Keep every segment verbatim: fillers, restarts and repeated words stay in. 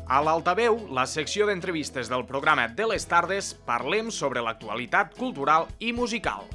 A l'Altaveu, la secció d'entrevistes del programa de les tardes, parlem sobre l'actualitat cultural i musical.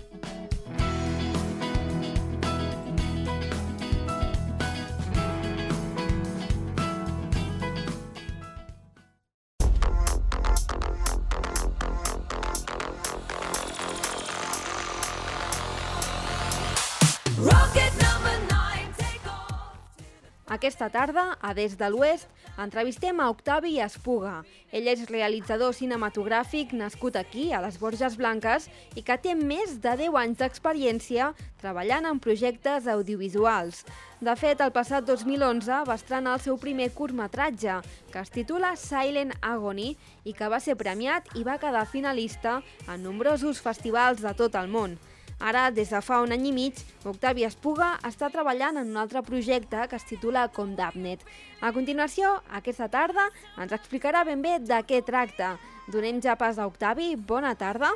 Aquesta tarda, a Des de l'Oest, entrevistem a Octavi Espuga. Ell és realitzador cinematogràfic nascut aquí, a les Borges Blanques, i que té més de deu anys d'experiència treballant en projectes audiovisuals. De fet, el passat dos mil onze va estrenar el seu primer curtmetratge, que es titula Silent Agony, i que va ser premiat i va quedar finalista en nombrosos festivals de tot el món. Ara, des de fa un any i mig, Octavi Espuga està treballant en un altre projecte que es titula Condemned. A continuació, aquesta tarda, ens explicarà ben bé de què tracta. Donem ja pas a Octavi. Bona tarda.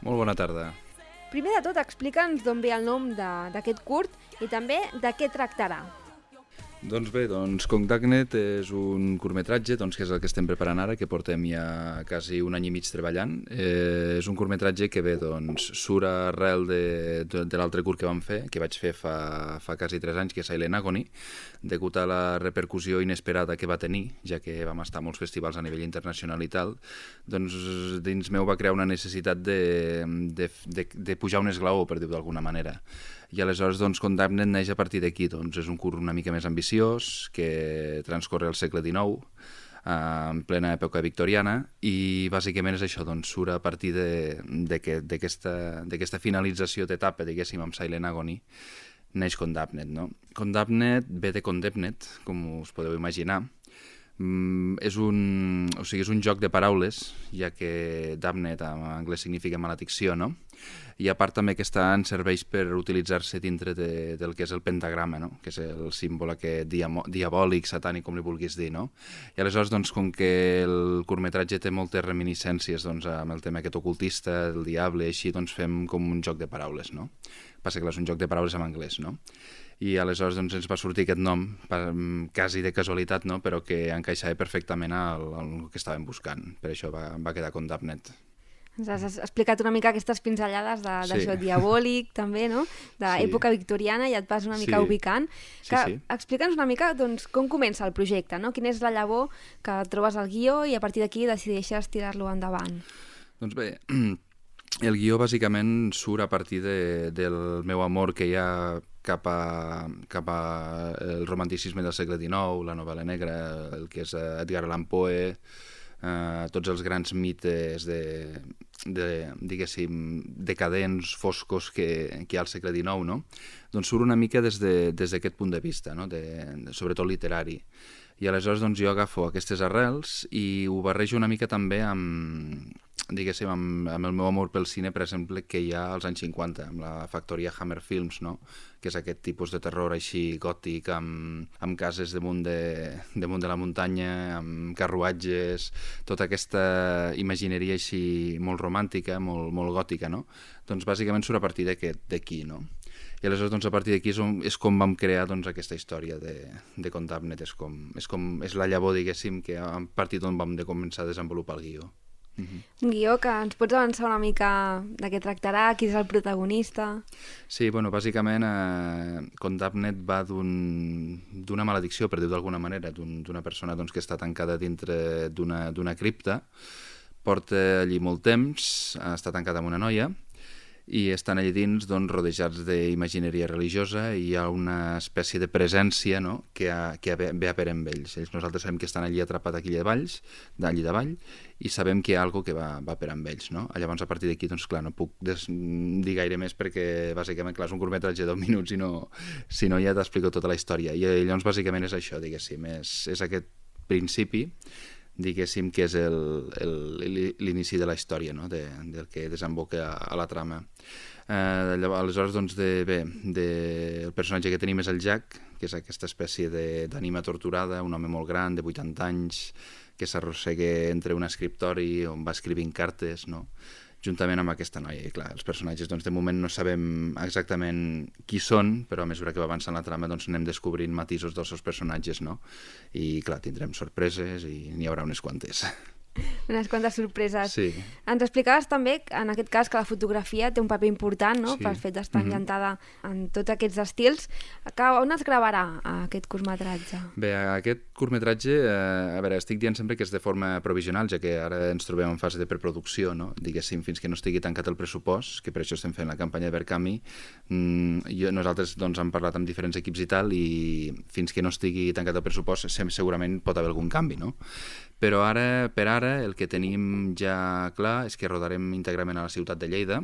Molt bona tarda. Primer de tot, explica'ns d'on ve el nom d'aquest curt i també de què tractarà. Doncs bé, doncs Condemned és un curtmetratge doncs, que és el que estem preparant ara, que portem ja quasi un any i mig treballant. Eh, és un curtmetratge que bé, doncs, surt arrel de, de, de l'altre curt que vam fer, que vaig fer fa, fa quasi tres anys, que és Silent Agony, degut a la repercussió inesperada que va tenir, ja que vam estar a molts festivals a nivell internacional i tal, doncs dins meu va crear una necessitat de, de, de, de pujar un esglaó, per dir-ho d'alguna manera. I aleshores, doncs, Condemned neix a partir d'aquí. Doncs és un curt una mica més ambiciós, que transcorre al segle dinou, eh, en plena època victoriana, i bàsicament és això, doncs, surt a partir d'aquesta finalització d'etapa, diguéssim, amb Silent Agony, neix Condemned, no? Condemned ve de Condemned, com us podeu imaginar. Mm, és, un, o sigui, és un joc de paraules, ja que damned en anglès significa maledicció, no? I a part també que està en serveix per utilitzar-se dintre de, del que és el pentagrama, no? Que és el símbol aquest diamo, diabòlic, satànic, com li vulguis dir, no? I aleshores, doncs, com que el curtmetratge té moltes reminiscències doncs, amb el tema aquest ocultista, el diable, així, doncs fem com un joc de paraules, no? Passa que és un joc de paraules en anglès, no? I aleshores doncs, ens va sortir aquest nom, quasi de casualitat, no? Però que encaixava perfectament al, al que estàvem buscant. Per això va, va quedar Condemned. Ens has explicat una mica aquestes pinzellades d'això sí. diabòlic, també, no? D'època sí. victoriana, ja et vas una mica sí. ubicant. Sí, que, sí. Explica'ns una mica doncs, com comença el projecte, no? Quina és la llavor que trobes al guió i a partir d'aquí decideixes tirar-lo endavant. Doncs bé, el guió bàsicament surt a partir de, del meu amor que hi ha cap a, cap a el romanticisme del segle dinou, la novel·la negra, el que és Edgar Allan Poe, eh, tots els grans mites de, de, diguéssim, decadents, foscos que, que hi ha al segle dinou, no? Doncs surt una mica des de, des d'aquest punt de vista, no? de, de, sobretot literari. I aleshores doncs, jo agafo aquestes arrels i ho barrejo una mica també amb, diguéssim, amb, amb el meu amor pel cine, per exemple, que hi ha als anys cinquanta, amb la factoria Hammer Films, no? Que és aquest tipus de terror així gòtic, amb, amb cases damunt de, damunt de la muntanya, amb carruatges, tota aquesta imagineria així molt romàntica, molt, molt gòtica, no? Doncs bàsicament surt a partir d'aquí, no? I aleshores, doncs, a partir d'aquí és, és com vam crear doncs, aquesta història de, de Condemned, és, com, és, com, és la llavor, diguéssim, que a partir d'on vam de començar a desenvolupar el guió. Uh-huh. Un guió que ens pots avançar una mica de què tractarà, qui és el protagonista? Sí, bueno, bàsicament eh, Condemned va d'una un, maledicció, per dir-ho d'alguna manera, d'una un, persona doncs, que està tancada dintre d'una cripta, porta allí molt temps, està tancada amb una noia, i estan allà dins doncs, rodejats d'imagineria religiosa i hi ha una espècie de presència, no? que, ha, que ve a per amb ells. ells. Nosaltres sabem que estan allí atrapats aquí davall, d'allí davall, i sabem que hi ha alguna que va, va per amb ells. No? Llavors, a partir d'aquí, doncs, clar, no puc des... dir gaire més perquè, bàsicament, clar, és un curtmetratge de deu minuts i no, si no ja t'explico tota la història. I llavors, bàsicament, és això, diguéssim, és, és aquest principi, diguéssim, que és l'inici de la història, no? de, del que desemboca a, a la trama. Eh, aleshores, doncs, de, bé, de, el personatge que tenim és el Jack, que és aquesta espècie d'ànima torturada, un home molt gran, de vuitanta anys, que s'arrossega entre un escriptori on va escrivint cartes, no? juntament amb aquesta noia. I clar, els personatges doncs, de moment no sabem exactament qui són, però a mesura que va avançant la trama doncs, anem descobrint matisos dels seus personatges, no? I clar, tindrem sorpreses i n'hi haurà unes quantes. Unes quantes sorpreses. Sí. Ens explicaves també, en aquest cas, que la fotografia té un paper important, no? Sí. Pel fet d'estar Mhm. ambientada en tots aquests estils. Que, on es gravarà aquest curtmetratge? Bé, aquest curtmetratge, eh, a veure, estic dient sempre que és de forma provisional, ja que ara ens trobem en fase de preproducció, no? Diguéssim, fins que no estigui tancat el pressupost, que per això estem fent la campanya de Verkami. Mm, jo, nosaltres doncs, hem parlat amb diferents equips i tal, i fins que no estigui tancat el pressupost segurament pot haver algun canvi, no? Però ara, per ara, el que tenim ja clar és que rodarem íntegrament a la ciutat de Lleida,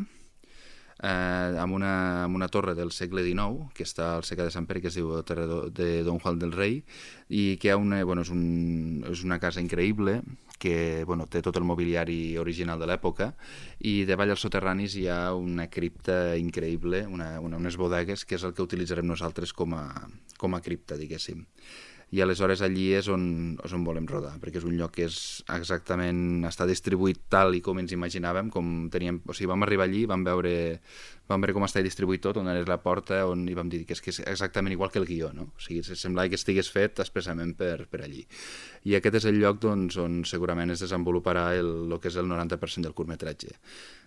eh, amb, una, amb una torre del segle dinou, que està al Seca de Sant Pere, que es diu Torre de Don Juan del Rei, i que una, bueno, és, un, és una casa increïble, que bueno, té tot el mobiliari original de l'època, i davall als soterranis hi ha una cripta increïble, una, una, unes bodegues, que és el que utilitzarem nosaltres com a, com a cripta, diguéssim. I aleshores allí és on, és on volem rodar, perquè és un lloc que és exactament, està distribuït tal i com ens imaginàvem, com teníem, o sigui, vam arribar allí, vam veure, vam veure com està distribuït tot, on és la porta, on, i vam dir que és, que és exactament igual que el guió, no? O sigui, semblava que estigués fet expressament per, per allí. I aquest és el lloc doncs, on segurament es desenvoluparà el, el que és el noranta per cent del curtmetratge.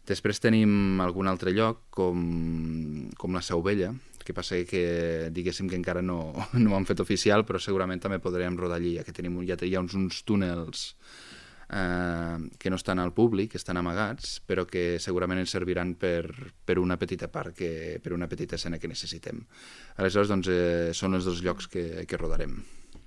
Després tenim algun altre lloc, com, com la Seu Vella, que passa que diguéssim que encara no, no ho han fet oficial, però segurament també podrem rodar allí, ja que tenim, ja hi ha uns, uns túnels eh, que no estan al públic, que estan amagats, però que segurament ens serviran per, per una petita part, que, per una petita escena que necessitem. Aleshores, doncs, eh, són els dos llocs que, que rodarem,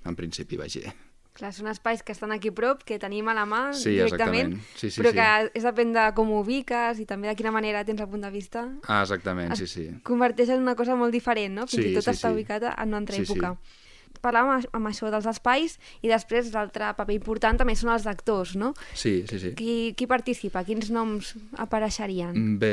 en principi, vaja. Clar, són espais que estan aquí a prop, que tenim a la mà sí, directament, sí, sí, però sí. que és depèn de com ho ubiques i també de quina manera tens el punt de vista. Ah, exactament, sí, sí. Converteix en una cosa molt diferent, no? Fins sí, i tot sí, està sí. ubicada en una altra sí, època. Sí. Parlàvem amb això dels espais i després l'altre paper important també són els actors, no? Sí, sí, sí. Qui, qui participa? Quins noms apareixerien? Bé,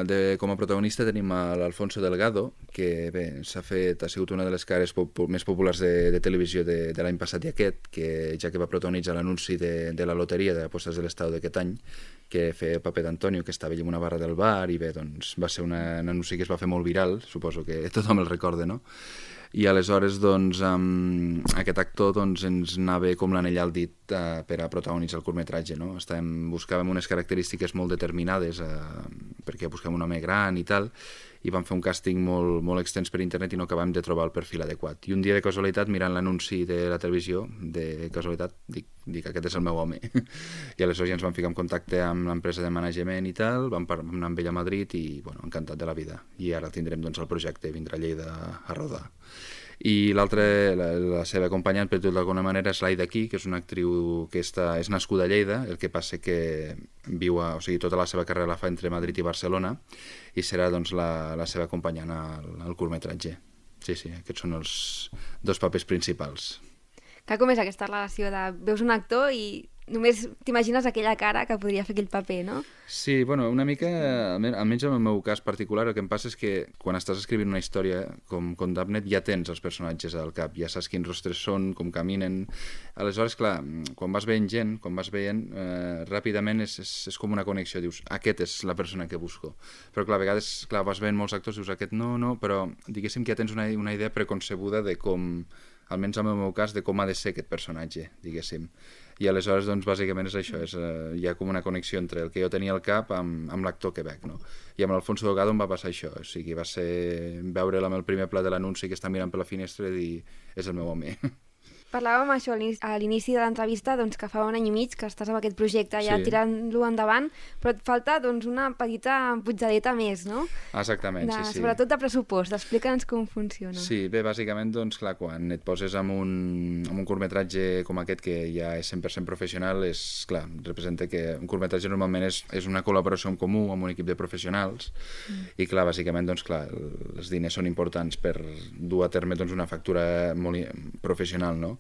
de, com a protagonista tenim l'Alfonso Delgado, que bé, s'ha fet, ha sigut una de les cares pop més populars de, de televisió de, de l'any passat i aquest, que ja que va protagonitzar l'anunci de, de la loteria de apostes de l'Estado d'aquest any, que feia el paper d'Antonio, que estava allà en una barra del bar, i bé, doncs va ser una, un anunci que es va fer molt viral, suposo que tothom el recorda, no? I aleshores doncs, um, aquest actor doncs, ens anava com l'anell al dit uh, per a protagonitzar el curtmetratge, no? Estàvem, buscàvem unes característiques molt determinades uh, perquè buscàvem un home gran i tal, i vam fer un càsting molt, molt extens per internet i no acabàvem de trobar el perfil adequat. I un dia de casualitat, mirant l'anunci de la televisió, de casualitat, dic, dic aquest és el meu home. I aleshores ja ens vam ficar en contacte amb l'empresa de management i tal, vam, vam anar amb ell a Madrid i, bueno, encantat de la vida. I ara tindrem doncs, el projecte, vindrà a Lleida a rodar. I l'altra, la, la seva acompanyant, per dir-ho d'alguna manera, és l'Aida Aquí, que és una actriu que està, és nascuda a Lleida, el que passa que viu a, o sigui, tota la seva carrera la fa entre Madrid i Barcelona, i serà doncs, la, la seva acompanyant al, al curtmetratge. Sí, sí, aquests són els dos papers principals. Que com és aquesta relació de veus un actor i només t'imagines aquella cara que podria fer aquell paper, no? Sí, bueno, una mica, almenys en el meu cas particular, el que em passa és que quan estàs escrivint una història com, com Dabnet ja tens els personatges al cap, ja saps quins rostres són, com caminen. Aleshores, clar, quan vas veient gent, quan vas veient, eh, ràpidament és, és, és com una connexió, dius, aquest és la persona que busco. Però clar, a vegades clar, vas veient molts actors, dius, aquest no, no, però diguéssim que ja tens una, una idea preconcebuda de com, almenys en el meu cas, de com ha de ser aquest personatge, diguéssim. I aleshores, doncs, bàsicament és això, és, eh, hi ha com una connexió entre el que jo tenia al cap amb, amb l'actor que veig, no? I amb l'Alfonso Delgado em va passar això, o sigui, va ser veure'l amb el primer pla de l'anunci que està mirant per la finestra i dir, és el meu home. Parlàvem això a l'inici de l'entrevista, doncs, que fa un any i mig que estàs amb aquest projecte ja sí. tirant-lo endavant, però et falta doncs, una petita putjadeta més, no? Exactament, de, sí, sí. Sobretot de pressupost, explica'ns com funciona. Sí, bé, bàsicament, doncs, clar, quan et poses amb un, amb un curtmetratge com aquest, que ja és cent per cent professional, és, clar, representa que un curtmetratge normalment és, és una col·laboració en comú amb un equip de professionals, mm. i, clar, bàsicament, doncs, clar, els diners són importants per dur a terme doncs, una factura molt professional, no?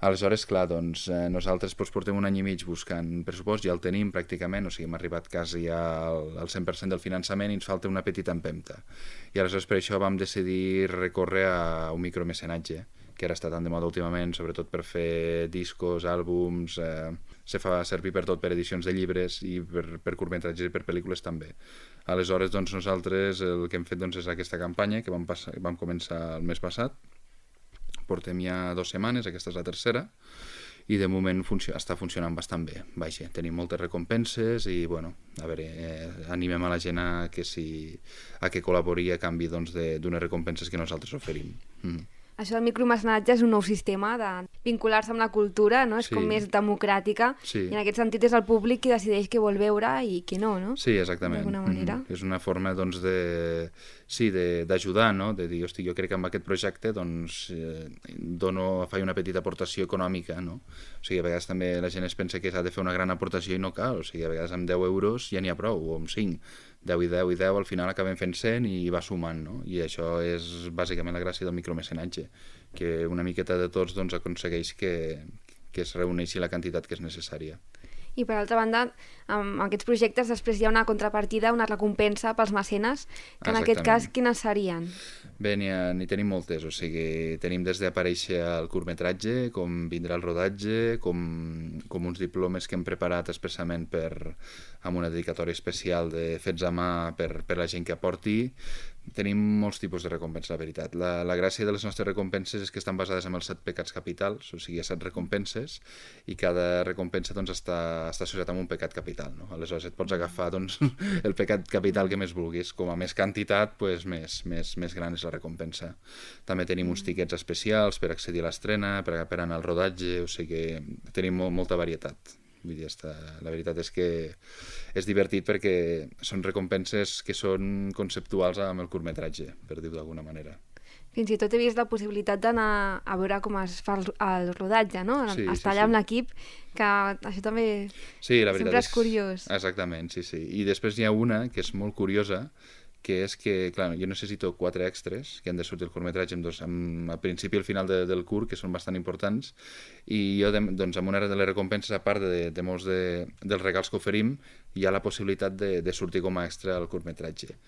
Aleshores, clar, doncs, eh, nosaltres doncs, portem un any i mig buscant pressupost, ja el tenim pràcticament, o sigui, hem arribat quasi al, al cent per cent del finançament i ens falta una petita empenta. I aleshores per això vam decidir recórrer a un micromecenatge, que ara està tan de moda últimament, sobretot per fer discos, àlbums, eh, se fa servir per tot, per edicions de llibres i per, per curtmetratges i per pel·lícules també. Aleshores, doncs, nosaltres el que hem fet doncs, és aquesta campanya que vam, passar, vam començar el mes passat. Portem ja dues setmanes, aquesta és la tercera, i de moment funcio està funcionant bastant bé. Vaja, tenim moltes recompenses i, bueno, a veure, eh, animem a la gent a que, si, a que col·labori a canvi d'unes doncs, recompenses que nosaltres oferim. Mm. Això del micromecenatge és un nou sistema de vincular-se amb la cultura, no? És sí. com més democràtica, sí. i en aquest sentit és el públic qui decideix què vol veure i què no, no? Sí, exactament. D'alguna manera. Mm-hmm. És una forma, doncs, de... Sí, d'ajudar, no? De dir, hosti, jo crec que amb aquest projecte, doncs, eh, dono, faig una petita aportació econòmica, no? O sigui, a vegades també la gent es pensa que s'ha de fer una gran aportació i no cal, o sigui, a vegades amb deu euros ja n'hi ha prou, o amb cinc. deu i deu i deu, al final acabem fent cent i va sumant, no? I això és bàsicament la gràcia del micromecenatge, que una miqueta de tots doncs, aconsegueix que, que es reuneixi la quantitat que és necessària. I per altra banda, amb aquests projectes després hi ha una contrapartida, una recompensa pels mecenes, que en aquest cas quines serien? Bé, n'hi tenim moltes, o sigui, tenim des d'aparèixer al curtmetratge, com vindrà el rodatge, com, com uns diplomes que hem preparat expressament per, amb una dedicatòria especial de fets a mà per, per la gent que aporti. Tenim molts tipus de recompenses, la veritat. La, la gràcia de les nostres recompenses és que estan basades en els set pecats capitals, o sigui, hi ha set recompenses, i cada recompensa doncs, està, està associat amb un pecat capital, no? Aleshores et pots agafar doncs, el pecat capital que més vulguis. Com a més quantitat, doncs, més, més, més gran és la recompensa. També tenim uns tiquets especials per accedir a l'estrena, per, per anar al rodatge, o sigui, tenim molt, molta varietat. Vull dir, està... la veritat és que és divertit perquè són recompenses que són conceptuals amb el curtmetratge, per dir-ho d'alguna manera. Fins i tot he vist la possibilitat d'anar a veure com es fa el, el rodatge, no? Sí, Estar sí, allà amb sí. l'equip, que això també sí, la sempre és, és curiós. Exactament, sí, sí. I després hi ha una que és molt curiosa, que és que, clar, jo necessito quatre extras que han de sortir el curtmetratge amb, amb al principi i al final de, del curt, que són bastant importants, i jo, de, doncs, amb una de les recompenses, a part de, de molts de, dels regals que oferim, hi ha la possibilitat de, de sortir com a extra al curtmetratge.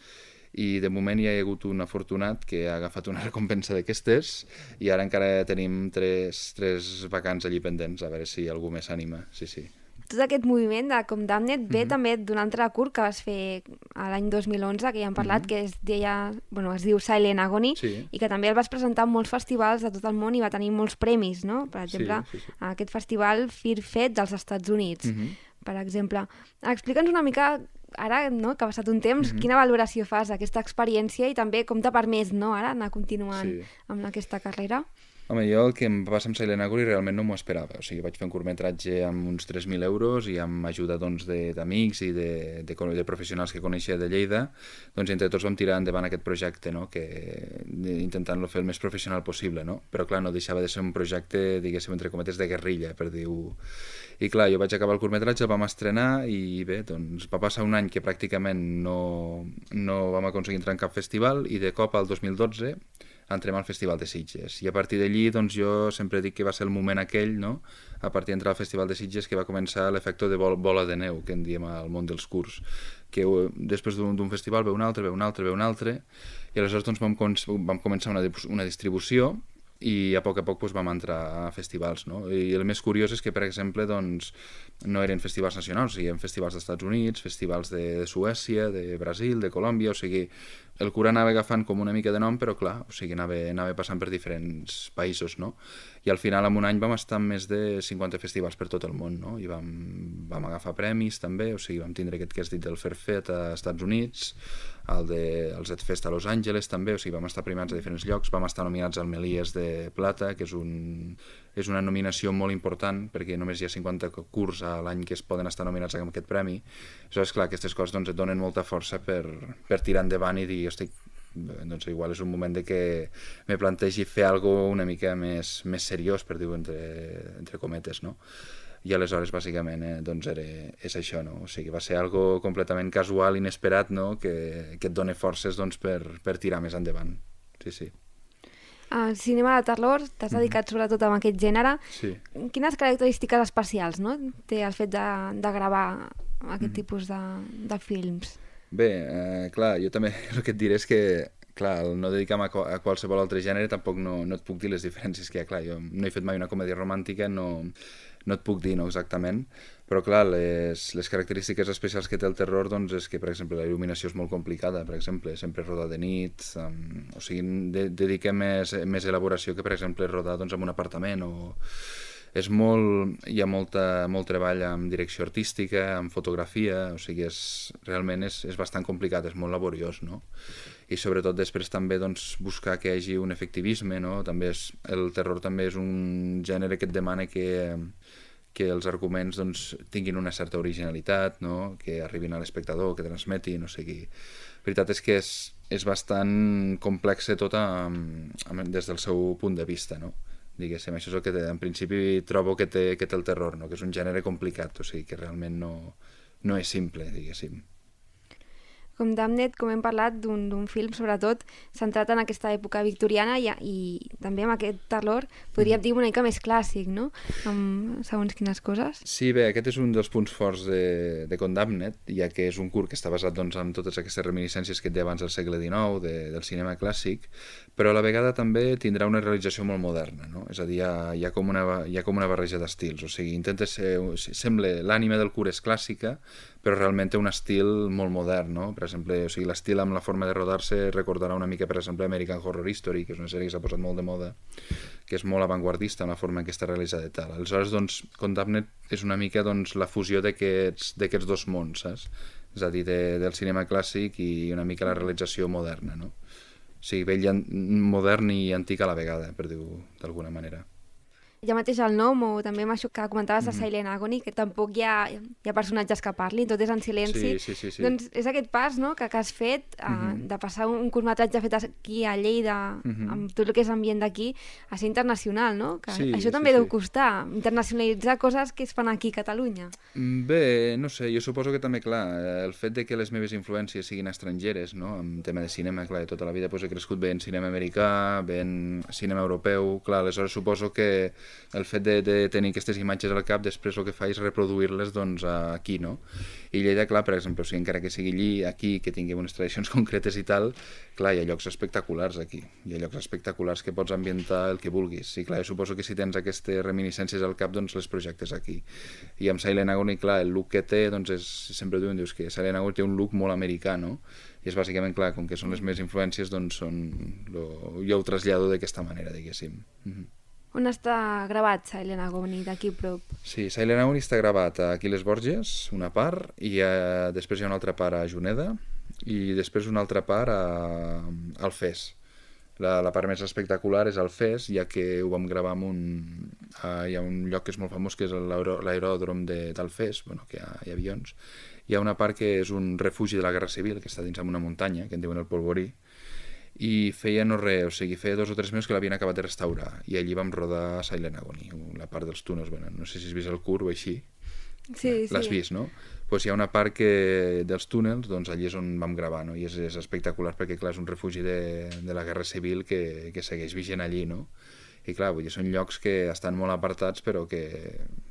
I de moment hi ha hagut un afortunat que ha agafat una recompensa d'aquestes i ara encara tenim tres, tres vacants allí pendents, a veure si algú més s'anima, sí, sí. Tot aquest moviment de Com Damned ve mm-hmm. també d'un altre curt que vas fer l'any dos mil onze, que ja hem parlat, mm-hmm. que es, deia, bueno, es diu Silent Agony, sí. i que també el vas presentar en molts festivals de tot el món i va tenir molts premis, no? Per exemple, sí, sí, sí. aquest festival Fear Fest dels Estats Units, mm-hmm. per exemple. Explica'ns una mica, ara no, que ha passat un temps, mm-hmm. quina valoració fas d'aquesta experiència i també com t'ha permès, no, ara anar continuant sí. amb aquesta carrera? Home, jo el que em va passar amb Silent Agony realment no m'ho esperava. O sigui, vaig fer un curtmetratge amb uns tres mil euros i amb ajuda doncs, d'amics i de, de, de professionals que coneixia de Lleida. Doncs entre tots vam tirar endavant aquest projecte, no? Que, intentant-lo fer el més professional possible. No? Però clar, no deixava de ser un projecte, diguéssim, entre cometes, de guerrilla, per dir-ho. I clar, jo vaig acabar el curtmetratge, el vam estrenar i bé, doncs va passar un any que pràcticament no, no vam aconseguir entrar en cap festival i de cop al dos mil dotze entrem al Festival de Sitges. I a partir d'allí, doncs, jo sempre dic que va ser el moment aquell, no? A partir d'entrar al Festival de Sitges, que va començar l'efecte de bol bola de neu, que en diem al món dels curts, que després d'un festival ve un altre, ve un altre, ve un altre, i aleshores doncs, vam, vam començar una, una distribució i a poc a poc doncs, vam entrar a festivals, no? I el més curiós és que, per exemple, doncs, no eren festivals nacionals, o sigui, eren festivals dels Estats Units, festivals de, de Suècia, de Brasil, de Colòmbia, o sigui, el curt anava agafant com una mica de nom, però clar, o sigui, anava, anava passant per diferents països, no? I al final, en un any, vam estar en més de cinquanta festivals per tot el món, no? I vam, vam agafar premis, també, o sigui, vam tindre aquest que has dit del Fair Fest a Estats Units, el de el Z-Fest a Los Angeles, també, o sigui, vam estar primats a diferents llocs, vam estar nominats al Melies de Plata, que és, un, és una nominació molt important, perquè només hi ha cinquanta curts a l'any que es poden estar nominats amb aquest premi. Aleshores, clar, aquestes coses doncs, et donen molta força per, per tirar endavant i dir, hosti, doncs igual és un moment de que me plantegi fer alguna una mica més, més seriós, per dir-ho entre, entre cometes, no? I aleshores, bàsicament, eh, doncs era, és això, no? O sigui, va ser algo completament casual, inesperat, no? Que, que et dona forces doncs, per, per tirar més endavant. Sí, sí. Al cinema de terror t'has dedicat mm-hmm. sobretot a aquest gènere. Sí. Quines característiques especials, no? té el fet de, de gravar aquest mm-hmm. tipus de, de films? Bé, eh, clar, jo també el que et diré és que clar, el no dedicar-me a, a qualsevol altre gènere tampoc no, no et puc dir les diferències que hi ha. Clar, jo no he fet mai una comèdia romàntica, no, no et puc dir no, exactament, però clar, les, les característiques especials que té el terror doncs, és que, per exemple, la il·luminació és molt complicada, per exemple, sempre rodar de nit, um, o sigui, de, dediquem més, més elaboració que, per exemple, rodar doncs, en un apartament o... És molt, hi ha molta, molt treball en direcció artística, en fotografia, o sigui, és, realment és, és bastant complicat, és molt laboriós, no? I sobretot després també doncs, buscar que hi hagi un efectivisme, no? També és, el terror també és un gènere que et demana que, que els arguments doncs, tinguin una certa originalitat, no? Que arribin a l'espectador, que transmetin, o sigui... La veritat és que és, és bastant complex tot a, a, des del seu punt de vista, no? Diguéssim, això és el que té, en principi trobo que té, que té el terror, no? Que és un gènere complicat, o sigui que realment no, no és simple, diguéssim. Com Damned, com hem parlat, d'un film sobretot centrat en aquesta època victoriana i, i també amb aquest terror, podríem dir una mica més clàssic, no? Amb segons quines coses. Sí, bé, aquest és un dels punts forts de, de Condemned, ja que és un curt que està basat doncs, en totes aquestes reminiscències que et deia abans del segle dinou, de, del cinema clàssic, però a la vegada també tindrà una realització molt moderna, no? És a dir, hi ha, hi ha, com, una, hi ha com una barreja d'estils, o sigui, intenta ser, sembla, l'ànima del curt és clàssica, però realment té un estil molt modern, no? Per exemple, o sigui, l'estil amb la forma de rodar-se recordarà una mica, per exemple, American Horror Story, que és una sèrie que s'ha posat molt de moda, que és molt avantguardista en la forma en què està realitzada i tal. Aleshores, doncs, Condemned és una mica doncs, la fusió d'aquests dos mons, saps? És a dir, de, del cinema clàssic i una mica la realització moderna, no? O sigui, vell, modern i antic a la vegada, per dir-ho d'alguna manera. Ja mateix el nom, o també amb això que comentaves de Silent Agony, que tampoc hi ha, hi ha personatges que parlin, tot és en silenci. Sí, sí, sí, sí. Doncs és aquest pas, no?, que, que has fet, uh, uh-huh. de passar un curtmetratge fet aquí a Lleida, uh-huh. amb tot el que és ambient d'aquí, a ser internacional, no? Que sí, això també sí, deu sí. costar, internacionalitzar coses que es fan aquí a Catalunya. Bé, no sé, jo suposo que també, clar, el fet de que les meves influències siguin estrangeres, no?, en tema de cinema, clar, tota la vida doncs, he crescut bé en cinema americà, bé en cinema europeu, clar, aleshores suposo que el fet de, de tenir aquestes imatges al cap, després el que fa és reproduir-les doncs, aquí, no? I Lleida, clar, per exemple, o sigui, encara que sigui allí, aquí, que tingui unes tradicions concretes i tal, clar, hi ha llocs espectaculars aquí, hi ha llocs espectaculars que pots ambientar el que vulguis. I clar, jo suposo que si tens aquestes reminiscències al cap, doncs les projectes aquí. I amb Silent Agony, clar, el look que té, doncs és, sempre diuen, dius que Silent Agony té un look molt americà, no? I és bàsicament, clar, com que són les meves influències, doncs són... Lo... jo ho trasllado d'aquesta manera, diguéssim. Mm-hmm. On està gravat Silent Agony, d'aquí prop? Sí, Silent Agony està gravat aquí a les Borges, una part, i eh, després hi ha una altra part a Juneda, i després una altra part a Alfés. La, la part més espectacular és Alfés, ja que ho vam gravar en un... Uh, hi ha un lloc que és molt famós, que és l'aeròdrom d'Alfés, bueno, que hi ha, hi ha avions. Hi ha una part que és un refugi de la Guerra Civil, que està dins d'una muntanya, que en diuen el Polvorí, i feia no res, o sigui, feia dos o tres mesos que l'havien acabat de restaurar, i allí vam rodar Silent Agony, la part dels túnels, bueno, no sé si has vist el curt o així. Sí, l'has sí. vist, no? Pues hi ha una part que dels túnels, doncs allí és on vam gravar, no? I és, és espectacular perquè, clar, és un refugi de, de la Guerra Civil que, que segueix vigent allí, no? I clar, vull dir, són llocs que estan molt apartats, però que,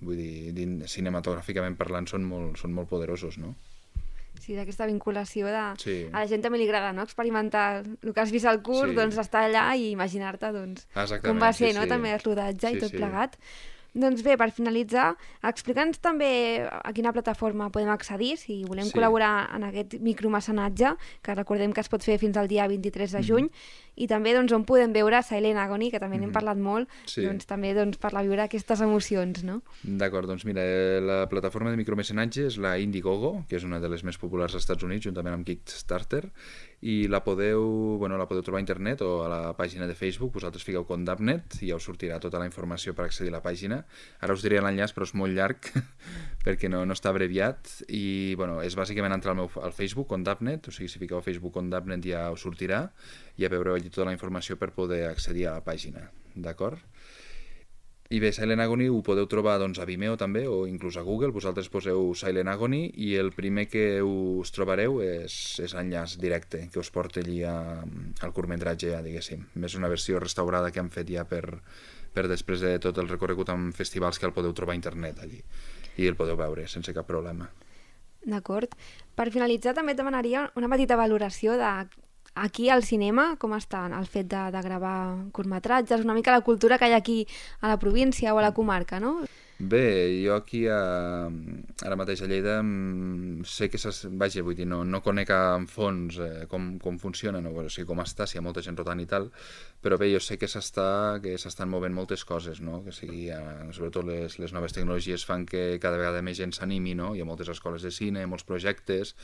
vull dir, cinematogràficament parlant són molt, són molt poderosos, no? Sí, d'aquesta vinculació de... Sí. A la gent també li agrada, no?, experimentar el que has vist al curt, Sí. doncs estar allà i imaginar-te, doncs, Exactament, com va ser, sí, no?, sí. també el rodatge Sí, i tot sí. plegat. Doncs bé, per finalitzar, explica'ns també a quina plataforma podem accedir si volem Sí. col·laborar en aquest micromecenatge, que recordem que es pot fer fins al dia vint-i-tres de juny, i també doncs, on podem veure Silent Agony, que també n'hem parlat molt, Sí. doncs, també doncs, per la viure aquestes emocions, no? D'acord, doncs mira, eh, la plataforma de micromecenatge és la Indiegogo, que és una de les més populars als Estats Units, juntament amb Kickstarter, i la podeu, bueno, la podeu trobar a internet o a la pàgina de Facebook, vosaltres fiqueu Condemned i ja us sortirà tota la informació per accedir a la pàgina. Ara us diré l'enllaç, però és molt llarg perquè no, no està abreviat, i bueno, és bàsicament entrar al meu al Facebook, Condemned, o sigui, si fiqueu a Facebook Condemned ja us sortirà, ja veureu allí tota la informació per poder accedir a la pàgina, d'acord? I bé, Silent Agony ho podeu trobar doncs, a Vimeo també, o inclús a Google, vosaltres poseu Silent Agony i el primer que us trobareu és, és l'enllaç directe que us porta allí a, al curtmetratge, ja, diguéssim. És una versió restaurada que han fet ja per, per després de tot el recorregut en festivals, que el podeu trobar a internet allí i el podeu veure sense cap problema. D'acord. Per finalitzar també et demanaria una petita valoració de aquí al cinema, com està el fet de, de gravar curtmetratges, una mica la cultura que hi ha aquí a la província o a la comarca, no? Bé, jo aquí a, ara mateix a Lleida sé que, vaja, vull dir, no, no conec en fons eh, com, com funciona, no? O sigui, com està, si hi ha molta gent rotant i tal, però bé, jo sé que s'està que s'estan movent moltes coses, no? Que sigui, eh, sobretot les, les noves tecnologies fan que cada vegada més gent s'animi, no? Hi ha moltes escoles de cine, molts projectes,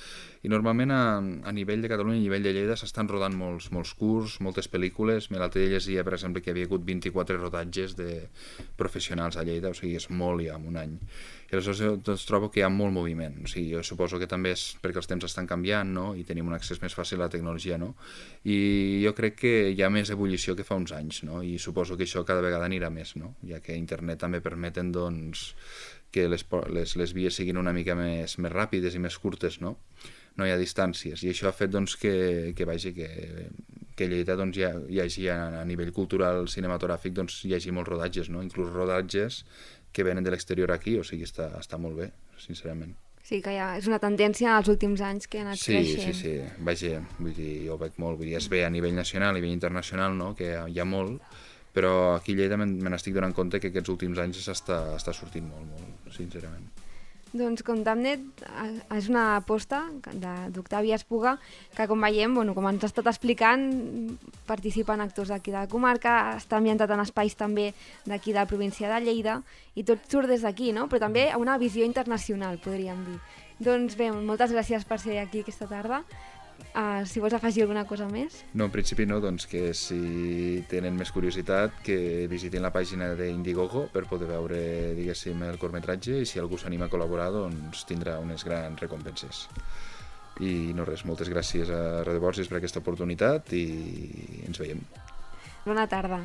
i normalment a, a nivell de Catalunya, a nivell de Lleida, s'estan rodant molts, molts curs, moltes pel·lícules. L'altre dia llegia, per exemple, que hi havia hagut vint-i-quatre rodatges de professionals a Lleida, o sigui, és molt ja en un any. I aleshores doncs, trobo que hi ha molt moviment. O sigui, jo suposo que també és perquè els temps estan canviant, no? I tenim un accés més fàcil a la tecnologia, no? I jo crec que hi ha més ebullició que fa uns anys, no? I suposo que això cada vegada anirà més, no? Ja que internet també permeten doncs, que les, les, les vies siguin una mica més, més ràpides i més curtes, no? No hi ha distàncies, i això ha fet doncs, que, que, vagi, que, que a Lleida doncs, hi, ha, hi hagi a, a nivell cultural cinematogràfic doncs, hi hagi molts rodatges, no? Inclús rodatges que venen de l'exterior aquí, o sigui, està, està molt bé, sincerament. Sí, que ja és una tendència als últims anys que ha anat sí, creixent. Sí, sí, vaja, vull dir, jo ho veig molt, vull dir, es ve a nivell nacional, a nivell internacional, no? Que hi ha molt, però aquí a Lleida me n'estic donant compte que aquests últims anys està, està sortint molt, molt, sincerament. Doncs Contamnet és una aposta d'Octavi Espuga que, com veiem, bueno, com ens ha estat explicant, participen actors d'aquí de la comarca, està ambientat en espais també d'aquí de la província de Lleida i tot surt des d'aquí, no? Però també a una visió internacional, podríem dir. Doncs bé, moltes gràcies per ser aquí aquesta tarda. Uh, si vols afegir alguna cosa més? No, en principi no, doncs que si tenen més curiositat que visitin la pàgina d'Indiegogo per poder veure, diguéssim, el curtmetratge, i si algú s'anima a col·laborar doncs tindrà unes grans recompenses. I no res, moltes gràcies a Radio Borges per aquesta oportunitat i ens veiem. Bona tarda.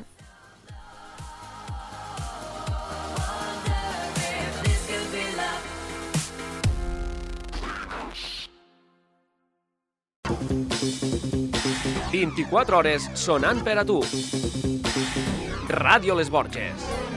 vint-i-quatre hores sonant per a tu. Ràdio Les Borges.